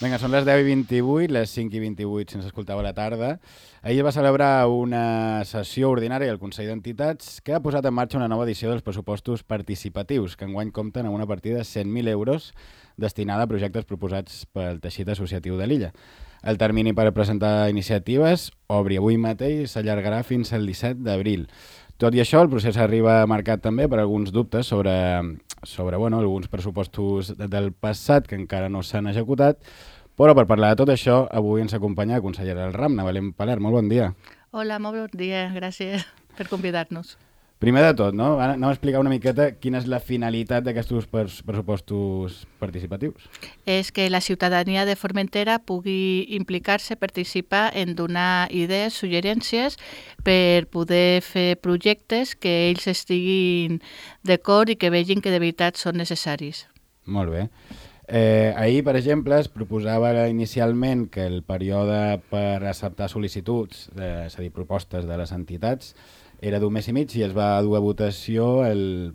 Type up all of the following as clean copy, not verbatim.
Vinga, són les 10:28, les 5:28 si ens escoltava a la tarda. Ahir va celebrar una sessió ordinària al Consell d'Entitats que ha posat en marxa una nova edició dels pressupostos participatius, que enguany compten amb una partida de 100.000 euros destinada a projectes proposats pel teixit associatiu de l'illa. El termini per presentar iniciatives obri avui mateix i s'allargarà fins al 17 d'abril. Tot i això, el procés arriba marcat també per alguns dubtes sobre alguns pressupostos del passat que encara no s'han executat, però per parlar de tot això, avui ens acompanya la consellera del RAM, Belén Paler. Molt bon dia. Hola, molt bon dia. Gràcies per convidar-nos. Primer de tot, no? Anem a explicar una miqueta quina és la finalitat d'aquests pressupostos participatius. És que la ciutadania de Formentera pugui implicar-se, participar en donar idees, suggerències per poder fer projectes que ells estiguin d'acord i que vegin que de veritat són necessaris. Molt bé. Ahir, per exemple, es proposava inicialment que el període per acceptar sol·licituds, és a dir, propostes de les entitats, era d'un mes i mig i es va dur a votació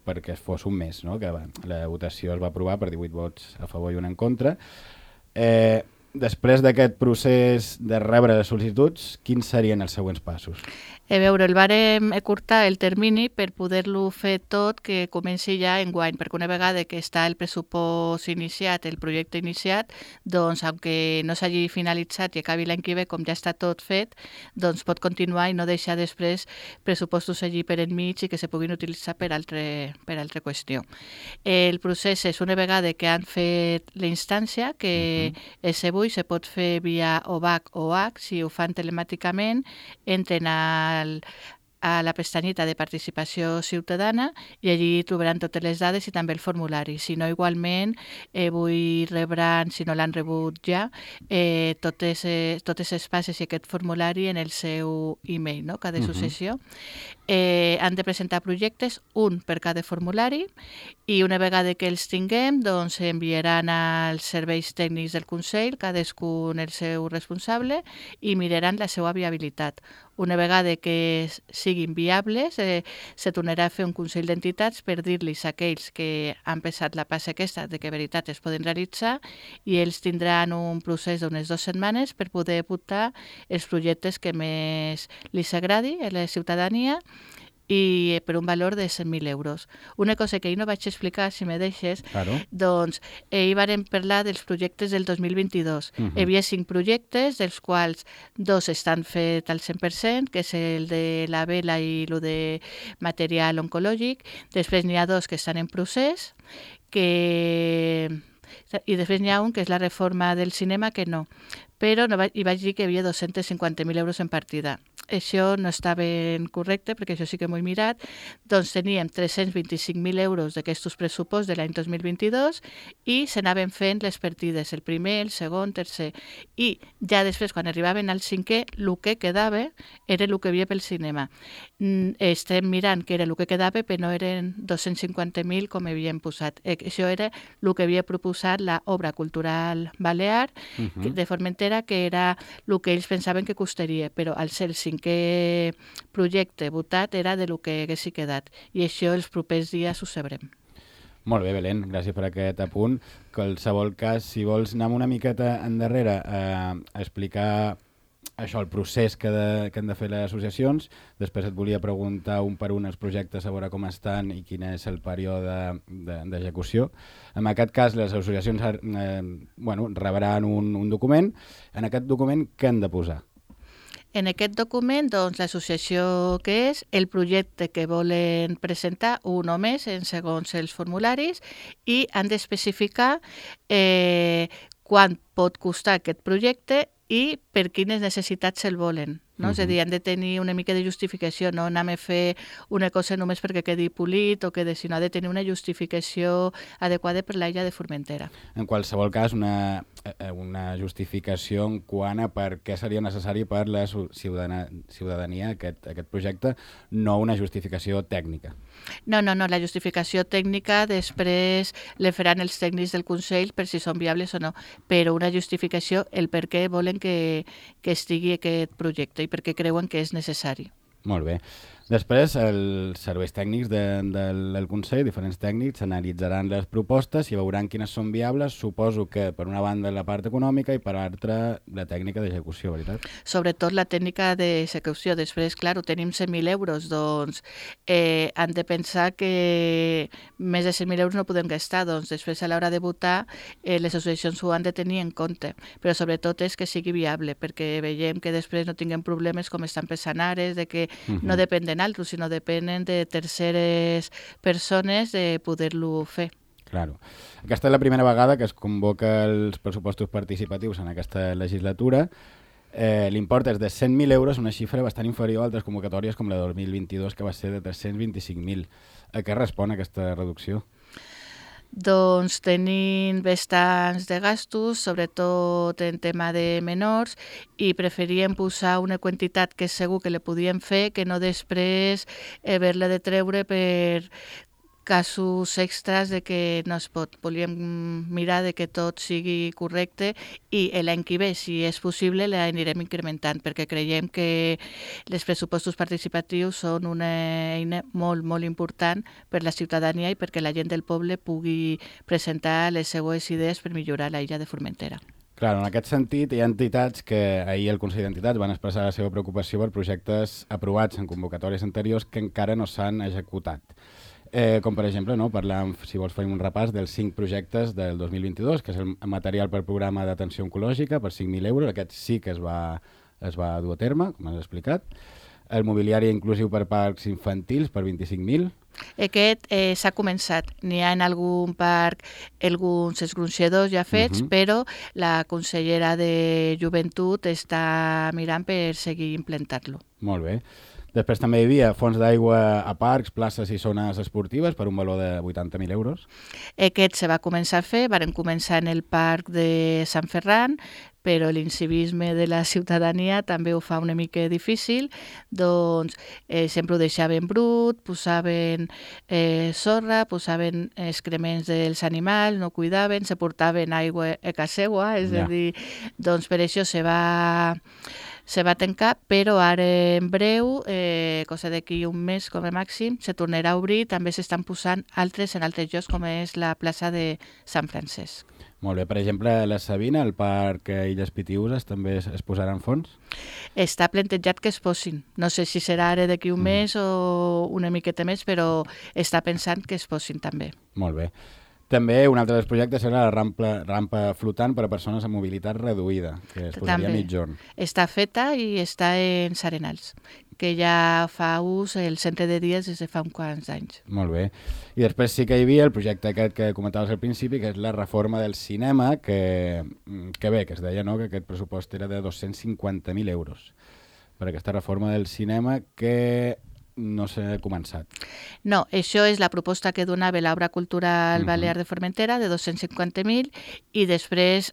perquè fos un mes, no? Que la votació es va aprovar per 18 vots a favor i un en contra. Després d'aquest procés de rebre les sol·licituds, quins serien els següents passos? A veure, el vàrem acurtar el termini per poder-lo fer tot que comenci ja enguany, perquè una vegada que està el pressupost iniciat, el projecte iniciat, doncs, aunque no s'hagi finalitzat i acabi l'any que ve, com ja està tot fet, doncs pot continuar i no deixar després pressupostos allí per enmig i que se puguin utilitzar per altra qüestió. El procés és una vegada que han fet la instància, que és avui, se pot fer via OVAC o OAC, si ho fan telemàticament, entren a la pestanyeta de participació ciutadana i allí trobaran totes les dades i també el formulari. Si no, igualment, avui rebran, si no l'han rebut ja, totes les passes i aquest formulari en el seu e-mail, no? Cada associació. Han de presentar projectes, un per cada formulari, i una vegada que els tinguem, doncs enviaran als serveis tècnics del Consell, cadascun el seu responsable, i miraran la seva viabilitat. Una vegada que siguin viables, se tornarà a fer un Consell d'Entitats per dir-los a aquells que han passat la passa aquesta de que veritat es poden realitzar i ells tindran un procés d'unes 2 setmanes per poder votar els projectes que més els agradi a la ciutadania i per un valor de 100.000 euros. Una cosa que ahir no vaig explicar, si me deixes, claro. Doncs ahir vàrem parlar dels projectes del 2022. Hi havia 5 projectes, dels quals 2 estan fets al 100%, que és el de la vela i el de material oncològic. Després n'hi ha 2 que estan en procés, i després n'hi ha un que és la reforma del cinema, que no. Però hi vaig dir que hi havia 250.000 euros en partida. Això no està ben correcte, perquè això sí que m'ho he mirat. Doncs teníem 325.000 euros d'aquests pressuposts de l'any 2022 i s'anaven fent les partides, el primer, el segon, tercer. I ja després, quan arribaven al 5è, el que quedava era el que hi havia pel cinema. Estem mirant que era el que quedava, però no eren 250.000 com havíem posat. Això era el que havia proposat l'obra cultural balear de Formentera, que era el que ells pensaven que costaria, però al ser el 5è projecte votat era de lo que hagués quedat. I això els propers dies ho sabrem. Molt bé, Belén, gràcies per aquest apunt. En qualsevol cas, si vols anar una miqueta endarrere a explicar això, el procés que han de fer les associacions, després et volia preguntar un per un els projectes, a veure com estan i quin és el període d'execució. En aquest cas, les associacions rebran un document. En aquest document, què han de posar? En aquest document, doncs, l'associació que és, el projecte que volen presentar, un o més, en segons els formularis, i han d'especificar quant pot costar aquest projecte i per quines necessitats se'l volen. No? És a dir, han de tenir una mica de justificació, no anem a fer una cosa només perquè quedi polit o sinó ha de tenir una justificació adequada per l'illa de Formentera. En qualsevol cas, una justificació en quant a per què seria necessari per la ciutadania aquest projecte, no una justificació tècnica. No, la justificació tècnica després la faran els tècnics del Consell per si són viables o no, però una justificació, el per què volen que estigui aquest projecte i perquè creuen que és necessari. Molt bé. Després, els serveis tècnics del Consell, diferents tècnics, analitzaran les propostes i veuran quines són viables. Suposo que, per una banda, la part econòmica i, per l'altra, la tècnica d'execució, veritat? Sobretot la tècnica d'execució. Després, clar, tenim 100.000 euros, doncs han de pensar que més de 100.000 euros no podem gastar, doncs després a l'hora de votar les associacions ho han de tenir en compte, però sobretot és que sigui viable, perquè veiem que després no tinguem problemes com estan pensant ara, de que no depèn de altres, sinó depenen de terceres persones de poder-lo fer. Claro. Aquesta és la primera vegada que es convoca els pressupostos participatius en aquesta legislatura. L'import és de 100.000 euros, una xifra bastant inferior a altres convocatòries com la de 2022, que va ser de 325.000. A què respon aquesta reducció? Doncs tenim bastants de gastos, sobretot en tema de menors, i preferíem posar una quantitat que segur que le podíem fer, que no després haver-la de treure per casos extras de que no es pot. Volíem mirar de que tot sigui correcte i l'any que ve, si és possible, l'anirem incrementant, perquè creiem que els pressupostos participatius són una eina molt, molt important per la ciutadania i perquè la gent del poble pugui presentar les seues idees per millorar la illa de Formentera. Clar, en aquest sentit, hi ha entitats que ahir el Consell d'Entitats van expressar la seva preocupació per projectes aprovats en convocatòries anteriors que encara no s'han executat. Com per exemple, no, parlar, si vols fer un repàs dels 5 projectes del 2022, que és el material per programa d'atenció oncològica per 5.000 euros, aquest sí que es va dur a terme, com has explicat. El mobiliari inclusiu per parcs infantils per 25.000. Aquest s'ha començat. N'hi ha en algun parc alguns esgronxadors ja fets, però la consellera de Joventut està mirant per seguir implantant-lo. Molt bé. Després també hi havia fons d'aigua a parcs, places i zones esportives per un valor de 80.000 euros. Aquest se va començar a fer, varen començar en el parc de Sant Ferran, però l'incivisme de la ciutadania també ho fa una mica difícil, doncs sempre ho deixaven brut, posaven sorra, posaven excrements dels animals, no cuidaven, se portaven aigua a casa seva, és a dir, doncs per això se va tancar, però ara en breu, cosa d'aquí un mes com a màxim, se tornarà a obrir, també s'estan posant altres en altres llocs com és la plaça de Sant Francesc. Molt bé, per exemple, la Sabina, el parc Illes Pitiüses, també es posaran fons? Està plantejat que es posin. No sé si serà ara d'aquí un mes o una miqueta més, però està pensant que es posin també. Molt bé. També un altre dels projectes era la rampa flotant per a persones amb mobilitat reduïda, que es posaria a mitjorn. Està feta i està en Serenals, que ja fa ús el centre de dies des de fa uns quants anys. Molt bé. I després sí que hi havia el projecte aquest que comentaves al principi, que és la reforma del cinema, que bé, que es deia que aquest pressupost era de 250.000 euros per aquesta reforma del cinema que no s'ha començat. No, això és la proposta que donava l'Obra Cultural Balear de Formentera, de 250.000, i després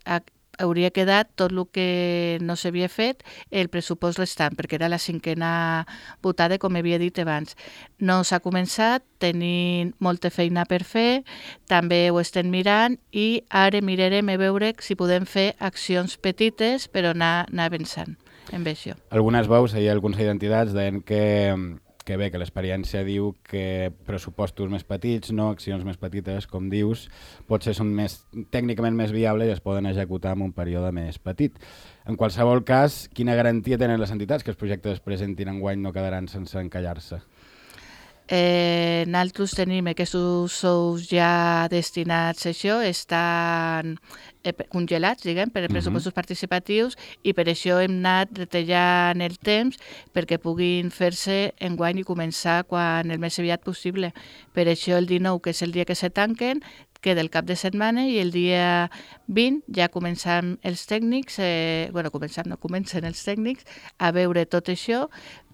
hauria quedat tot el que no s'havia fet, el pressupost restant, perquè era la 5a votada, com havia dit abans. No s'ha començat, tenim molta feina per fer, també ho estem mirant i ara mirarem a veure si podem fer accions petites per anar avançant amb això. Algunes veus ahir al Consell d'Entitats deien que bé, que l'experiència diu que pressupostos més petits, no accions més petites, com dius, potser són tècnicament més viables i es poden executar en un període més petit. En qualsevol cas, quina garantia tenen les entitats que els projectes es presentin enguany no quedaran sense encallar-se? Nosaltres tenim aquests sous ja destinats a això, estan congelats, diguem, per pressupostos participatius i per això hem anat retallant el temps perquè puguin fer-se enguany i començar quan el més aviat possible. Per això el 19, que és el dia que se tanquen, queda el cap de setmana i el dia 20 ja comencen els tècnics, comencen els tècnics a veure tot això,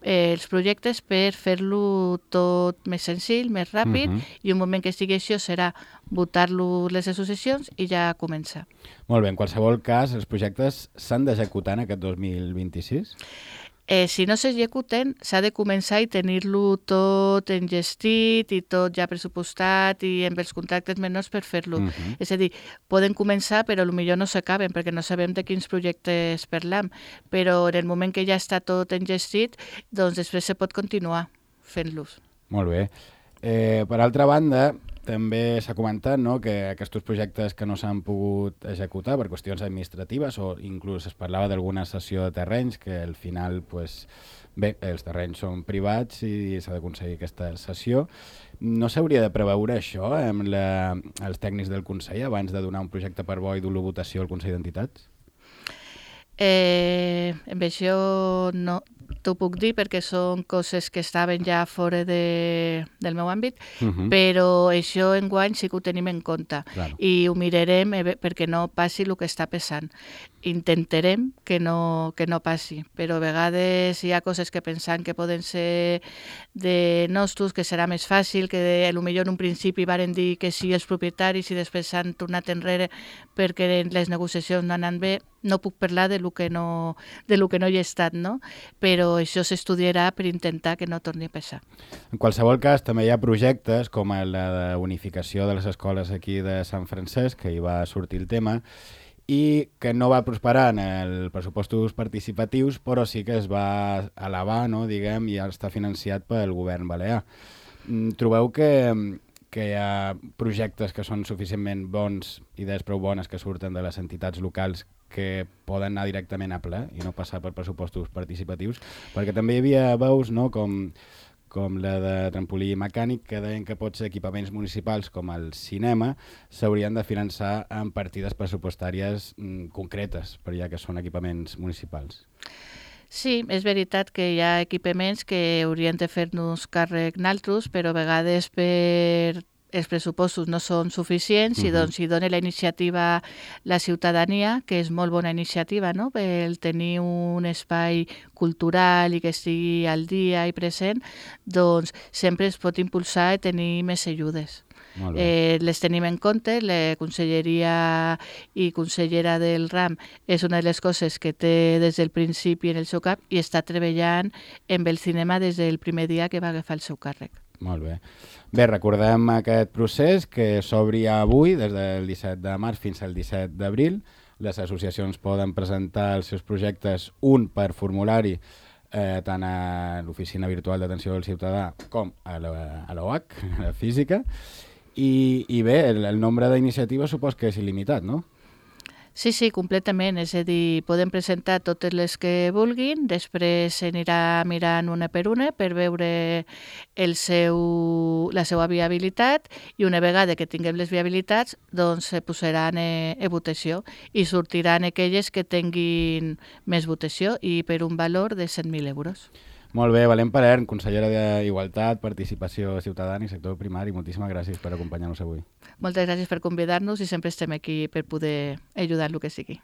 els projectes per fer-lo tot més senzill, més ràpid, i un moment que estigui això serà votar-lo les associacions i ja començar. Molt bé, en qualsevol cas, els projectes s'han d'executar en aquest 2026? Si no s'executen, s'ha de començar i tenir-lo tot engestit i tot ja pressupostat i amb els contractes menors per fer-lo. És a dir, poden començar però potser no s'acaben perquè no sabem de quins projectes parlam, però en el moment que ja està tot engestit, doncs després se pot continuar fent-los. Molt bé. Per altra banda, també s'ha comentat, no?, que aquests projectes que no s'han pogut executar per qüestions administratives o inclús es parlava d'alguna cessió de terrenys que al final, pues, bé, els terrenys són privats i s'ha d'aconseguir aquesta cessió. No s'hauria de preveure això amb els tècnics del Consell abans de donar un projecte per bo i dur-lo a votació al Consell d'Entitats? Amb això no t'ho puc dir perquè són coses que estaven ja fora del meu àmbit, però això enguany sí que ho tenim en compte. Claro. I ho mirarem perquè no passi el que està passant. Intentarem que no passi, però a vegades hi ha coses que pensam que poden ser de nostres, que serà més fàcil, que potser en un principi varen dir que sí els propietaris i després s'han tornat enrere perquè les negociacions no han anat bé. No puc parlar de lo que no hi he estat, no? Però això s'estudiarà per intentar que no torni a passar. En qualsevol cas, també hi ha projectes com la de unificació de les escoles aquí de Sant Francesc, que hi va sortir el tema, i que no va prosperar en els pressupostos participatius, però sí que es va elevar, no, diguem, i està financiat pel govern balear. Trobeu que hi ha projectes que són suficientment bons, idees prou bones que surten de les entitats locals que poden anar directament a ple i no passar per pressupostos participatius? Perquè també hi havia veus, no?, com la de trampolí mecànic, que deien que potser equipaments municipals com el cinema s'haurien de finançar amb partides pressupostàries concretes, per ja que són equipaments municipals. Sí, és veritat que hi ha equipaments que haurien de fer-nos càrrec naltros, però a vegades per els pressupostos no són suficients i doncs hi dona la iniciativa la ciutadania, que és molt bona iniciativa, no?, per tenir un espai cultural i que estigui al dia i present, doncs sempre es pot impulsar i tenir més ajudes. Les tenim en compte, la conselleria i consellera del RAM és una de les coses que té des del principi en el seu cap i està treballant amb el cinema des del primer dia que va agafar el seu càrrec. Molt bé. Bé, recordem aquest procés que s'obri avui, des del 17 de març fins al 17 d'abril. Les associacions poden presentar els seus projectes, un per formulari, tant a l'Oficina Virtual d'Atenció al Ciutadà com a l'OAC, a la física. I bé, el nombre d'iniciatives supos que és il·limitat, no? Sí, completament. És a dir, podem presentar totes les que vulguin, després s'anirà mirant una per una per veure la seva viabilitat i una vegada que tinguem les viabilitats doncs se posaran a votació i sortiran aquelles que tinguin més votació i per un valor de 100.000 euros. Molt bé, Belén Palern, consellera d'Igualtat, Participació Ciutadana i Sector Primari. Moltíssimes gràcies per acompanyar-nos avui. Moltes gràcies per convidar-nos i sempre estem aquí per poder ajudar el que sigui.